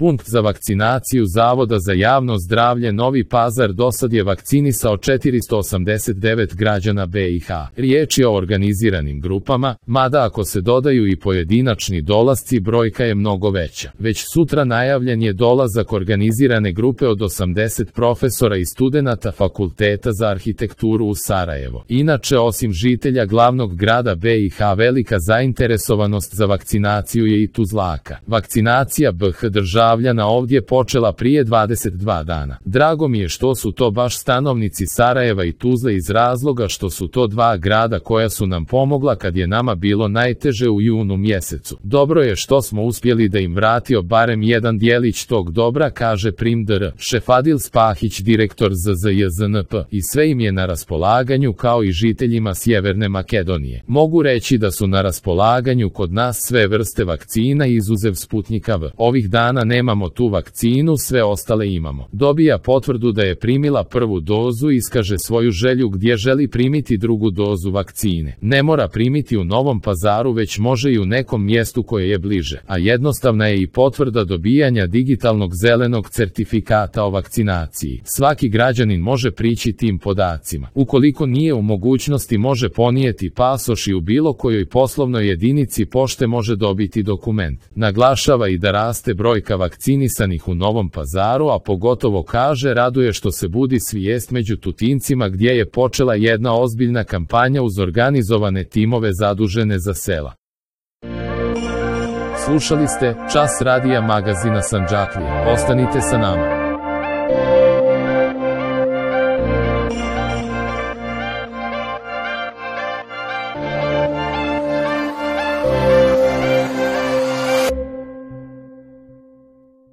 Punkt za vakcinaciju Zavoda za javno zdravlje Novi Pazar dosad je vakcinisao 489 građana BiH. Riječ je o organiziranim grupama, mada ako se dodaju i pojedinačni dolasci brojka je mnogo veća. Već sutra najavljen je dolazak organizirane grupe od 80 profesora i studenata Fakulteta za arhitekturu u Sarajevo. Inače, osim žitelja glavnog grada BiH, velika zainteresovanost za vakcinaciju je i Tuzlaka. Vakcinacija BiH državljana ovdje počela prije 22 dana. Drago mi je što su to baš stanovnici Sarajeva i Tuzle iz razloga što su to dva grada koja su nam pomogla kad je nama bilo najteže u junu mjesecu. Dobro je što smo uspjeli da im vratio barem jedan dijelić tog dobra, kaže prim dr. Šefadil Spahić, direktor ZZJZNP, i sve im je na raspolaganju kao i žiteljima Sjeverne Makedonije. Mogu reći da su na raspolaganju kod nas sve vrste vakcina izuzev Sputnika V. Ovih dana nemamo tu vakcinu, sve ostale imamo. Dobija potvrdu da je primila prvu dozu i iskaže svoju želju gdje želi primiti drugu dozu vakcine. Ne mora primiti u Novom Pazaru, već može i u nekom mjestu koje je bliže, a jednostavna je i potvrda dobijanja digitalnog zelenog certifikata o vakcinaciji. Svaki građanin može prići tim podacima. Ukoliko nije u mogućnosti, može ponijeti pasoš i u bilo kojoj poslovnoj jedinici pošte može dobiti dokument. Naglašava i da raste brojka vakcinisanih u Novom Pazaru, a pogotovo kaže raduje što se budi svijest među Tutincima gdje je počela jedna ozbiljna kampanja uz organizovane timove zadužene za sela. Slušali ste Čas radija magazina Sandžaklija. Ostanite sa nama.